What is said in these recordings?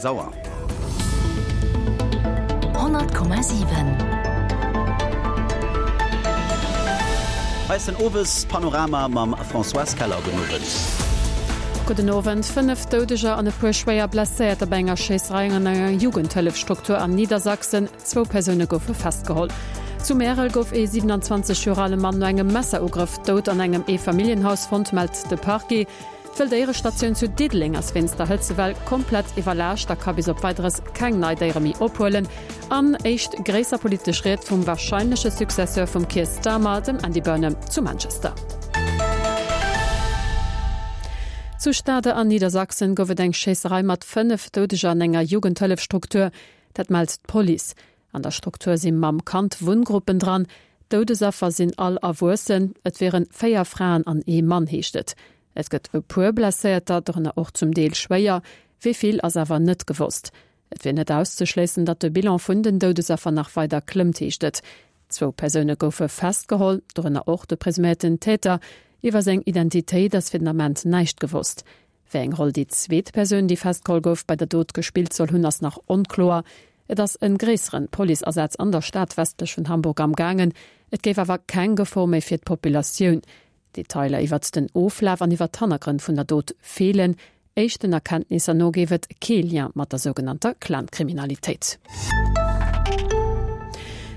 6 Auer. 100,7. Hei ass den Owespanorama mam Françoise Keller. Gudden Owend. Gudden Owend. 5 Doudeger an e puer schwéier Blesséierter bei enger Schéisserei an enger Jugendhëllefstruktur an Niedersachsen. Zwou Persoune goufe festgeholl. Zu Märel gouf ee 27 Joer ale Mann no engem Messerugrëff dout an engem Eefamilljenhaus fonnt, mellt de Parquet. D'Wëlldéierestatioun zu Diddeleng ass wéinst der Hëtzewell komplett iwwerlaascht a ka bis op Weideres keng nei Déiere méi ophuelen. An éischt gréisser politesch Ried vum warscheinleche Successeur vum Keir Starmer, dem Andy Burnham, zu Manchester. Zu Stade an Niedersachsen gouf et eng Schéisserei mat 5 Doudeger an enger Jugendhëllefstruktur. Dat mellt d'Police. An der Struktur si Mamm-Kand-Wunngruppen dran. D'Doudesaffer sinn all Erwuessen. Et wieren 4 Fraen an ee Mann, heescht et. Et gëtt e puer Blesséierter, dorënner och zum Deel schwéier. Wéi vill ass awer net gewosst. Et wier net auszeschléissen, datt de Bilan vun den Doudesaffer nach weider klëmmt, heescht et. Zwou Persoune goufe festgeholl, dorënner och de presuméierten Täter. Iwwer seng Identitéit ass fir den Ament näischt gewosst. Wéi eng Roll déi zweet Persoun, déi festgeholl gouf, bei der Dot gespillt soll hunn, ass nach onkloer. Et ass en gréisseren Policeasaz an der Stad westlech vun Hamburg am gaangen. Et géif awer keng Gefor méi fir d'Populatioun. Detailer iwwert den Oflaf an iwwert d'Hannergrënn vun der Dot feelen. Éischten Erkenntnisser no géif et kee Lien mat der sougenannter Clan-Kriminalitéit.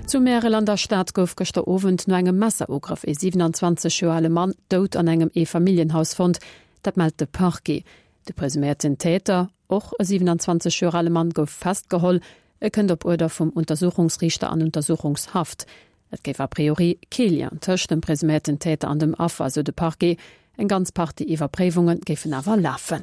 Zu Märel an der Stad gouf gëschter Owend no engem Messerugrëff ee 27 Joer ale Mann dout an engem Eefamilljenhaus fonnt. Dat mellt de Parquet. De presuméierten Täter, och e 27 Joer ale Mann, gouf festgeholl. E kënnt op Uerder vum Untersuchungsriichter an Untersuchungshaft. Et géif a priori kee Lien tëscht dem presuméierten Täter an dem Affer, esou de Parquet. Eng ganz Partie Iwwerpréiwunge géifen awer lafen.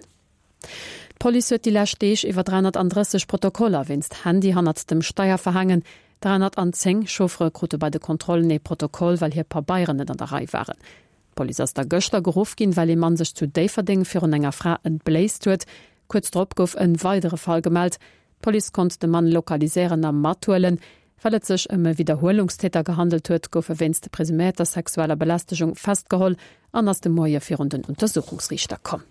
D'Police huet déi lescht Deeg iwwer 330 Protokoller wéinst Handy hannert dem Steier verhaangen. 310 Chauffere krute bei de Kontrollen ee Protokoll, well hir Pabeieren net an der Rei waren. D'Police ass da gëschter geruff ginn, well ee Mann sech zu Déifferdeng virun enger Fra entbléisst huet. Kuerz drop gouf en weidere Fall gemellt. D'Police konnt de Mann lokaliséieren a mathuelen. Well et sech ëm e Widderhuelungstäter gehandelt huet, gouf e wéinst presuméierter sexueller Belästegung festgeholl an ass de Moie virun den Untersuchungsriichter komm.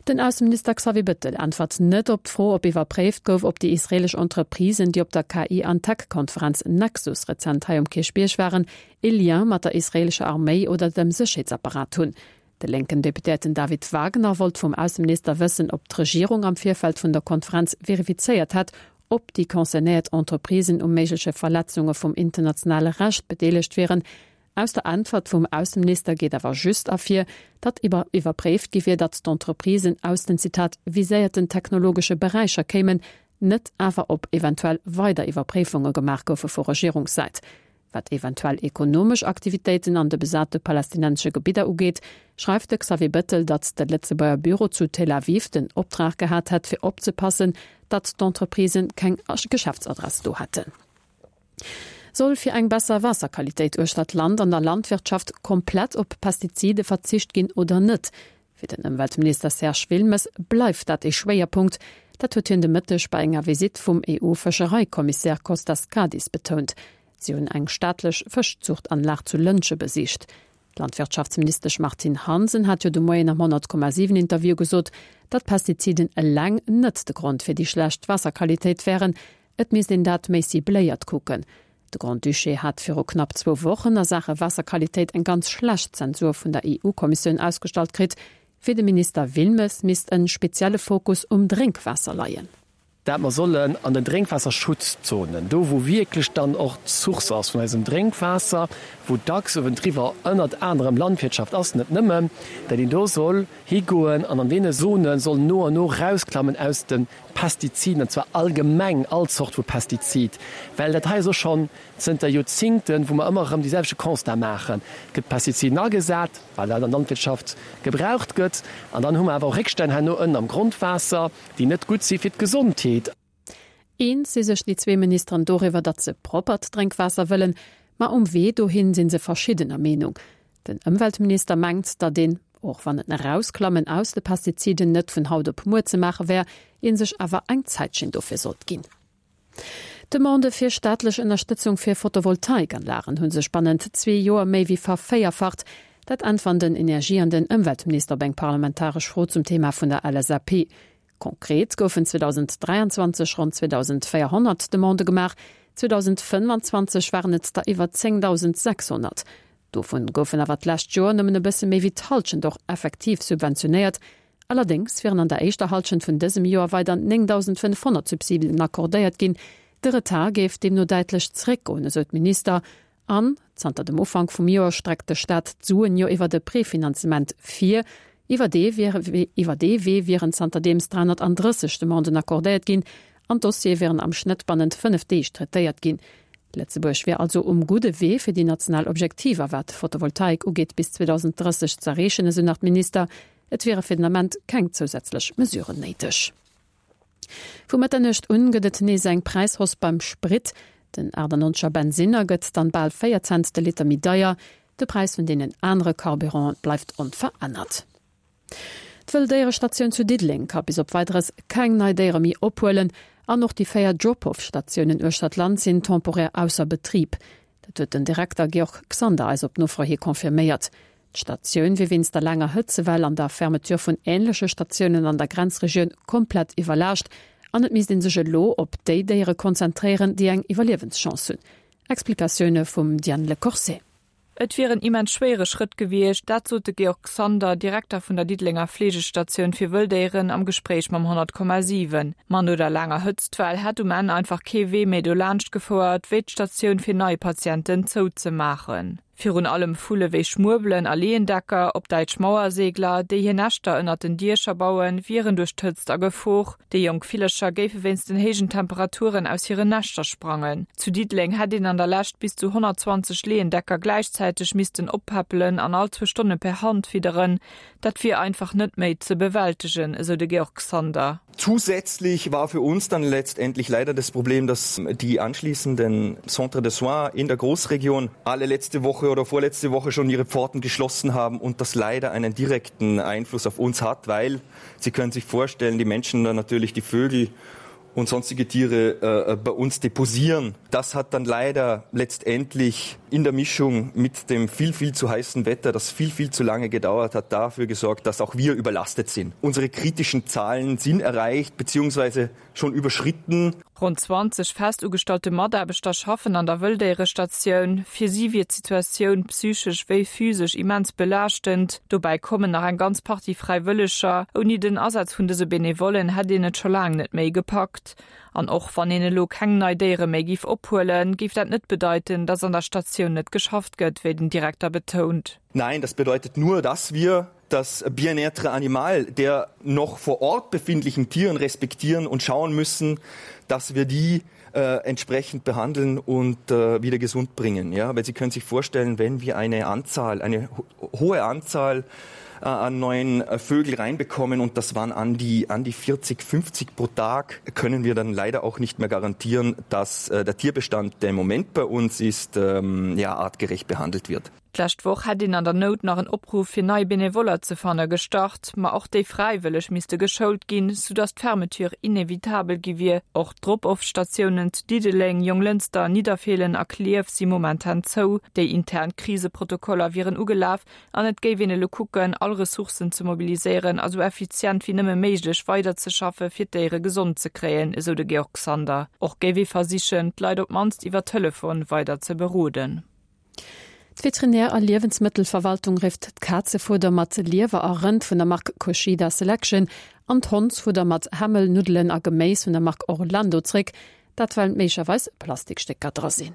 Den Ausseminister Xavier Bettel äntwert net op d'Fro, ob iwwerpréift gouf, ob déi israeelesch Entreprisen, déi op der KI an Tech-Konferenz Nexus rezent hei um Kierchbierg waren, ee Lien mat der israeelescher Arméi oder dem Sécherheetsapparat hunn. De lénken Deputéierten David Wagner wollt vum Ausseminister wëssen, ob d'Regierung am Virfeld vun der Konferenz verifizéiert hätt, ob déi concernéiert Entreprisen u méigleche Verletzunge vum internationale Recht bedeelegt wieren. Aus der Äntwert vum Ausseminister geet awer just ervir, datt iwwer iwwerpréift gi wier, datt d'Entreprisen aus den, Zitat, viséierten technologesche Beräicher kéimen, net awer ob eventuell weider Iwwerpréifunge gemaach goufe vu Regierungssäit. Wat eventuell ekonomesch Aktivitéiten an de besate palästinensesche Gebidder ugeet, schreift de Xavier Bettel, datt de Lëtzebuerger Büro zu Tel Aviv den Optrag gehat hätt, fir opzepassen, datt d'Entreprisen keng Geschäftsadress do hätten. Soll fir eng besser Waasserqualitéit uechter d'Land an der Landwirtschaft komplett op Pestizide verzicht ginn oder net? Fir den Ëmweltminister Serge Wilmes bleift dat ee Schwéierpunkt. Dat huet hien de Mëtteg bei enger Visitt vum EU-Fëschereikommissär Kostas Kadis betount. Si hunn eng staatlech Fëschzuchtanlag zu Lëntge besicht. D'Landwirtschaftsministesch Martine Hansen hat jo de Moien am 100,7 Interview gesot, datt Pestiziden eleng net de Grond fir déi schlecht Waasserqualitéit wären. Et misst een dat méi cibléiert kucken. De Grand-Duché hat viru knapp zwou Wochen a Saache Waasserqualitéit eng ganz schlecht Zensur vun der EU-Kommissioun ausgestallt kritt. Fir de Minister Wilmes misst e spezielle Fokus um Drénkwaasser leien. Dat mer sollen an den Drénkwaasserschutzzonen, do wou wierklech dann och d'Source ass vun eisem Drénkwaasser, wou dacks uewendriwwer ënnert anerem Landwirtschaft ass, net nëmmen, dat een do soll higoen an an deene Zone soll no an no rausklammen aus de Pestiziden, an zwar allgemeng all Zort vu Pestizid, well dat hei ass och schonn zënter Joerzingten, wou mer ëmmer erëm dee selwechte Constat maachen, Et gëtt Pestiziden agesat, well dat an der Landwirtschaft gebraucht gëtt, an dann hu mer awer och Réckstänn herno ënnen am Grondwaasser, déi net gutt si fir d'Gesondheet. Eens si sech déi zwee Ministeren doriwwer, datt se proppert Drénkwaasser wëllen, ma um Wee dohin si se verschiddener Meenung. Den Ëmweltminister mengt, datt een, och wann en Erausklammen aus de Pestiziden net vun haut op muer ze maache wär, ee sech awer eng Zäitchen dofir sollt ginn. D'Demandë fir staatlech Ënnerstëtzung fir Photovoltaikanlagen hu sech bannent zwee Joer méi wéi vervéierfacht. Dat äntweren den Energie an den Ëmweltminister op eng parlamentaresch Fro zum Thema vun der LSAP. Konkret goufen 2023 ronn 2.400 Demandë gemaach, 2025 waren et der iwwer 10.600. Dovun goufen awer d'lescht Joer nëmmen e bësse méi wéi d'Hallschent och effektiv subventionéiert. Allerdéngs wieren an der éischter Hallschent vun dësem Joer weider 9.500 Subsiden accordéiert ginn. De Retard géif deemno däitlech zeréckgoen, esou d'Minister. An zanter dem Ufank vum Joer streckt de Staat d'Suen jo iwwert e Prefinanzement vir. Iwwer dee iwwer dee Wee wieren zanterdeems 330 Demanden accordéiert ginn an d'Dossiere wieren am Schnëtt bannent 5 Deeg traitéiert ginn. Lëtzebuerg wier also um gudde Wee fir déi national Objektiver wat d'Photovoltaik ugeet bis 2030 z'erreechen, esou nach d'Minister. Et wiere fir den Ament keng zousätzlech Mesuren néideg. Vu Mëtternuecht un gëtt et nees eng Präishausse beim Sprit. Den 98er Bensinner gëtt dann bal 4 Cent de Liter méi deier. De Präis vun deenen anere Carburante bleift onverännert. D'Wëlldéierestatioun zu Diddeleng ka bis op Weideres keng nei Déiere méi ophuelen an och déi 4 Drop-Off-Statiounen uechter d'Land sinn temporär ausser Betrib. Dat huet den Direkter Georg Xander eis op Nofro hi confirméiert. D'Statioun wier wéinst der laanger Hëtzewell an der Fermeture vun änleche Statiounen an der Grenzregioun komplett iwwerlaascht an et misst ee sech elo op déi Déiere konzentréieren, déi eng Iwwerliewenschance hunn. Explikatioune vum Diane Le Corset. Et wier en immens schwéiere Schrëtt gewiescht, dat sot de Georg Xander, Direkter vun der Diddelenger Fleegestatioun fir Wëlldéieren am Gespréich mam 100,7. Ma no der laanger Hëtztwell hätt um Enn einfach kee Wee méi dolaanscht gefouert, wéi d'Statioun fir nei Patienten zouzemaachen. Virun allem Vulle wéi Schmuebelen a Leeëndecker, op Däitsch Mauersegler, déi hir Näschter ënnert den Diecher bauen, wieren duerch d'Hëtzt a Gefor. Déi jonk Villercher géife wéinst den héijen Temperaturen aus hiren Näschter sprangen. Zu Diddeleng hätt een an der Lescht bis zu 120 Leeëndecker gläichzäiteg missten oppäppelen an all zwou Stonne per Hand fidderen. Dat wier einfach net méi ze bewältegen, esou de Georg Xander. Zusätzlich war für uns dann letztendlich leider das Problem, dass die anschließenden Centres de soins in der Großregion alle letzte Woche oder vorletzte Woche schon ihre Pforten geschlossen haben und das leider einen direkten Einfluss auf uns hat, weil Sie können sich vorstellen, die Menschen dann natürlich die Vögel und sonstige Tiere äh, äh, bei uns deposieren. Das hat dann leider letztendlich in der Mischung mit dem viel, viel zu heißen Wetter, das viel, viel zu lange gedauert hat, dafür gesorgt, dass auch wir überlastet sind. Unsere kritischen Zahlen sind erreicht bzw. schon überschritten. Ronn 20 fest ugestallte Mataarbechter schaffen an der Wëlldéierestatioun. Fir si wier d'Situatioun psychesch wéi physesch immens belaaschtend. Dobäi kommen nach eng ganz Partie Fräiwëlleger. Ouni den Asaz vun dëse Benevollen hätt een et scho laang net méi gepackt. An och wann een elo keng nei Déiere méi géif ophuelen, géif dat net bedeiten, datt an der Statioun net geschafft gëtt, wéi den Direkter betount. Nein, das bedeutet nur, dass wir das bien-être animal der noch vor Ort befindlichen Tieren respektieren und schauen müssen, dass wir die äh, entsprechend behandeln und äh, wieder gesund bringen. Ja, weil Sie können sich vorstellen, wenn wir eine Anzahl, eine ho hohe Anzahl äh, an neuen äh, Vögel reinbekommen und das waren an die, an die 40, 50 pro Tag, können wir dann leider auch nicht mehr garantieren, dass äh, der Tierbestand, der im Moment bei uns ist, ähm, ja, artgerecht behandelt wird. D'lescht Woch hätt een an der Nout nach en Opruff fir nei Benevoller ze fanne gestart, ma och déi Fräiwëlleg misste geschoult ginn, soudass d'Fermeture inevitabel gi wier. Och d'Drop-Off-Statiounen zu Diddeleng, Jonglënster, Nidderfeelen a Klierf si momentan zou. Déi intern Kriseprotokoller wieren ugelaf an et géif een elo kucken, all Ressourcen ze mobiliséieren a sou effizient wéi nëmme méiglech weiderzeschaffe fir d'Déiere gesond ze kréien, esou de Georg Sander. Och géif ee versichen, d'Leit op d'mannst iwwer Telefon weider ze beroden. D'Veterinär a Liewensmëttelverwaltung rifft d'Kazefudder mat Liewer a Rënd vun der Mark Koshida Selection an d'Hondsfudder mat Hämmel, Nuddelen a Geméis vun der Mark Orlando zréck, dat well méiglecherweis Plastikstécker dra sinn.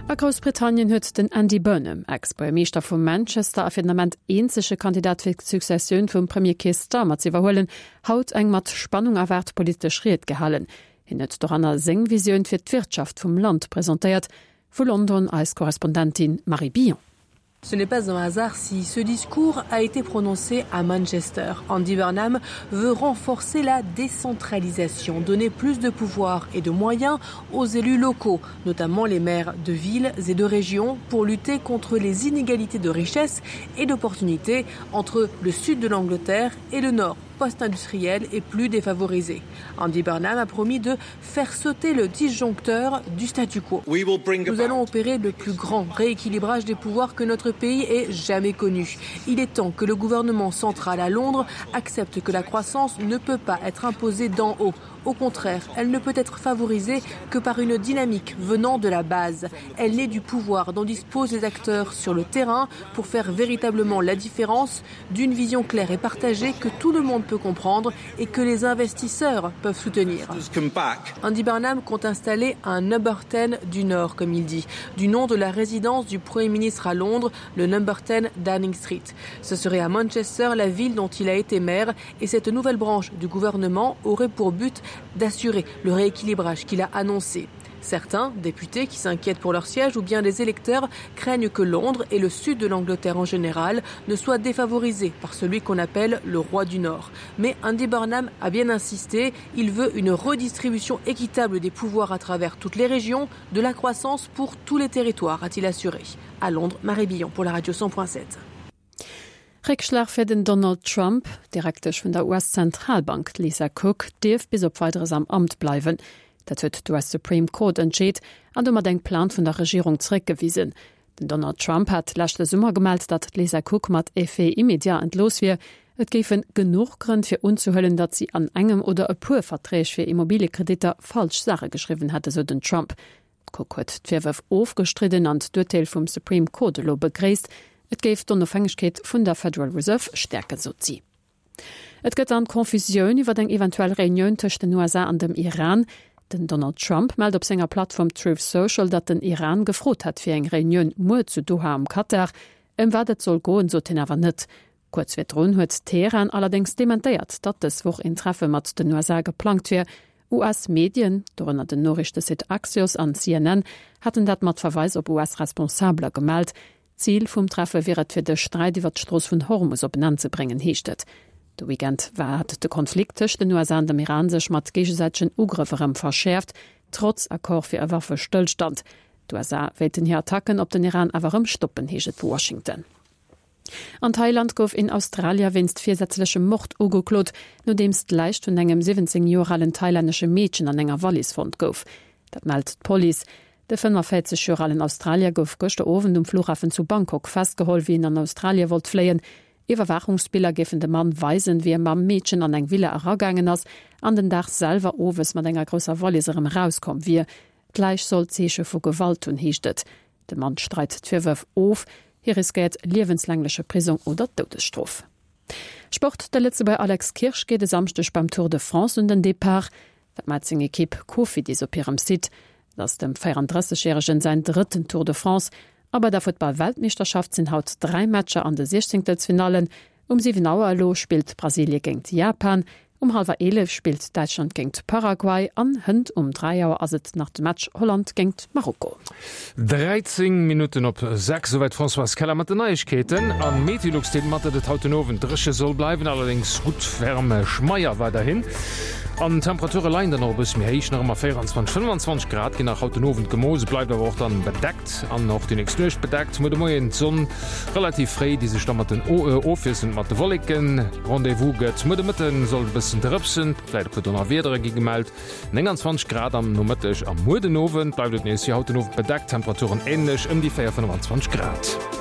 A Groussbritannien huet den Andy Burnham, Ex-Buergermeeschter vu Manchester a fir den Ament eenzege Kandidat fir d'Successioun vum Premier Keir Starmer ze iwwerhuelen, haut eng mat Spannung erwaart politesch Ried gehalen. Hien huet doranner seng Visioun fir d'Wirtschaft vum Land presentéiert. Vu London eis Korrespondentin Marie Billon. Ce n'est pas un hasard si ce discours a été prononcé à Manchester. Andy Burnham veut renforcer la décentralisation, donner plus de pouvoir et de moyens aux élus locaux, notamment les maires de villes et de régions, pour lutter contre les inégalités de richesse et d'opportunités entre le sud de l'Angleterre et le nord. post-industrielles et plus défavorisés. Andy Burnham a promis de faire sauter le disjoncteur du statu quo. Nous allons opérer le plus grand rééquilibrage des pouvoirs que notre pays ait jamais connu. Il est temps que le gouvernement central à Londres accepte que la croissance ne peut pas être imposée d'en haut. Au contraire, elle ne peut être favorisée que par une dynamique venant de la base. Elle naît du pouvoir dont disposent les acteurs sur le terrain pour faire véritablement la différence d'une vision claire et partagée que tout le monde peut comprendre et que les investisseurs peuvent soutenir. Andy Barnum compte installer un number 10 du Nord, comme il dit, du nom de la résidence du Premier ministre à Londres, le number 10 Downing Street. Ce serait à Manchester, la ville dont il a été maire, et cette nouvelle branche du gouvernement aurait pour but d'assurer le rééquilibrage qu'il a annoncé. Certains députés qui s'inquiètent pour leur siège ou bien des électeurs craignent que Londres et le sud de l'Angleterre en général ne soient défavorisés par celui qu'on appelle le roi du Nord. Mais Andy Burnham a bien insisté, il veut une redistribution équitable des pouvoirs à travers toutes les régions, de la croissance pour tous les territoires, a-t-il assuré. À Londres, Marie Billon pour la radio 100.7. Réckschlag fir den Donald Trump, D'Direktesch vun der US-Zentralbank, d'Lisa Cook, dierf bis op Weideres am Amt bleiwen. Dat huet d'US Supreme Court entscheet an domat eng Plainte vun der Regierung zeréckgewisen. Den Donald Trump hat leschte Summer gemellt, datt d'Lisa Cook mat Effet immédiat entlooss wier. Et géife genuch Grënn fir unzehuelen, datt si an engem oder e puer Verträg fir Immobiliekreditter falsch Saache geschriwwen hätt, esou den Trump. D'Cook huet d'Virwërf ofgestridden an d'Urteel vum Supreme Court elo begréisst. Et géif d'Onofhängegkeet vun der Federal Reserve stäerken, sot si. Et gëtt dann Confusioun iwwer eng eventuell Reunioun tëscht den USA an dem Iran. Den Donald Trump mellt op senger Plattform Truth Social, datt den Iran gefrot hätt fir eng Reunioun muer zu Doha am Katar. Ëm wat et soll goen, sot hien awer net. Kuerz virdrun huet Teheran allerdéngs dementéiert, datt dës Woch een Treffe mat den USA geplangt wier. US-Medien, dorënner den Noriichtesite Axios an CNN, haten dat mat Verweis op US-Responsabeler gemellt. Zil vum Treffe wier et, fir de Sträit iwwer d'Strooss vun Hormus op en Enn ze bréngen, heescht et. De Weekend war hat de Konflikt tëscht den USA an dem Iran sech mat géigesäitegen Ugrëff erëm verschäerft, trotz Accord fir e Waffestëllstand. D'USA wéilten hir Attacken op den Iran awer erëm stoppen, heescht et vu Washington. An Thailand gouf een Australier wéinst virsätzlechem Mord ugeklot, nodeems d'Läich vun engem 17 Joer alen thailännesche Meedchen an enger Wallis fonnt gouf. Dat mellt d'Police. De 45 Joer alen Australier gouf gëschter Owend um Flughafen zu Bangkok festgeholl, wéi en an Australie wollt fléien. Iwwerwaachungsbiller géifen de Mann weisen, wéi e mam Meedchen an eng Villa eragaangen ass an den Dag selwer owes mat enger grousser Wallis erëm erauskomm wier. D'Läich soll Zeeche vu Gewalt hunn, heescht et. De Mann streit d'Virwërf of. Hie riskéiert liewenslängleche Prisong oder d'Doudesstrof. Sport, De Lëtzebuerger Alex Kirsch geet e Samschdeg beim Tour de France un den Depart. Dat mellt seng Ekipp Cofidis op hirem Site. Et ass dem 34 Järegen säin drëtten Tour de France. A bei der Futtball-Weltmeeschterschaft sinn haut 3 Matcher an de Siechzéngtelsfinallen. Um 7 Auer elo spillt Brasilie géingt Japan, um hallwer 11 spillt Däitschland géingt Paraguay an hënt um 3 Auer ass et nach de Match Holland géingt Marokko. 13 Minutten op 6, esouwäit d'Françoise Keller mat den Neiegkeeten. A Meteolux deelt mat, datt et haut den Owend dréche soll bleiwen, allerdéngs gutt wärm schmeier weiderhin. An d'Temperature leien dann och e bësse méi héich, nach ëmmer 24, 25 Grad ginn nach haut den Owend gemooss. Et bleift awer och dann bedeckt an och déi nächst Nuecht bedeckt. Muer de Moien d'Sonn Relativ fréi, déi sech da mat den ofwiesselnd mat de Wolleken Rendez-vous gëtt. Muer de Mëtte soll et e bëssen drëpsen, vläit e puer Donnerwiedere gi gemellt. 29 Grad am Nomëtteg a muer den Owend bleift et nees wéi haut den Owend bedeckt, Temperaturen änlech ëm déi 4, 25 Grad.